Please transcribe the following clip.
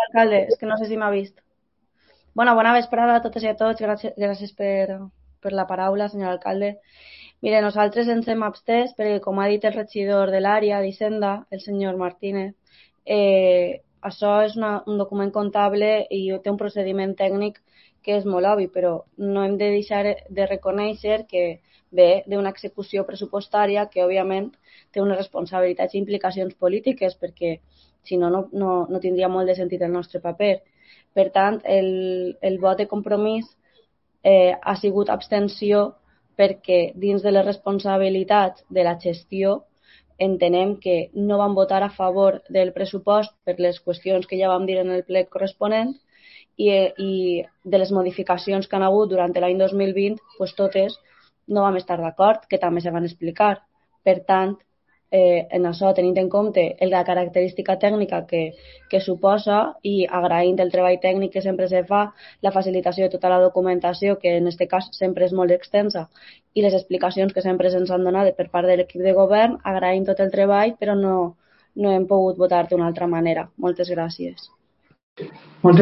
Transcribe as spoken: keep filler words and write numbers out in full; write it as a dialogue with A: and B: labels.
A: alcalde, és que no sé si m'ha vist. Bona, bona vesprada a totes i a tots. Gràcies, gràcies per, per la paraula, senyor alcalde. Mire, nosaltres ens hem abstès perquè, com ha dit el regidor de l'àrea d'Hisenda, el senyor Martínez, eh, això és una, un document comptable i té un procediment tècnic que és molt obvi, però no hem de deixar de reconèixer que ve d'una execució pressupostària que, òbviament, té unes responsabilitats i implicacions polítiques, perquè si no, no, no, no tindria molt de sentit el nostre paper. Per tant, el, el vot de compromís eh, ha sigut abstenció perquè dins de les responsabilitats de la gestió entenem que no vam votar a favor del pressupost per les qüestions que ja vam dir en el ple corresponent i, i de les modificacions que han hagut durant l'any dos mil vint, pues totes no vam estar d'acord, que també se van explicar. Per tant, eh, en això, tenint en compte la característica tècnica que, que suposa i agraint el treball tècnic que sempre se fa, la facilitació de tota la documentació, que en aquest cas sempre és molt extensa, i les explicacions que sempre se'ns han donat per part de l'equip de govern, agraïm tot el treball, però no, no hem pogut votar d'una altra manera. Moltes gràcies.
B: Moltes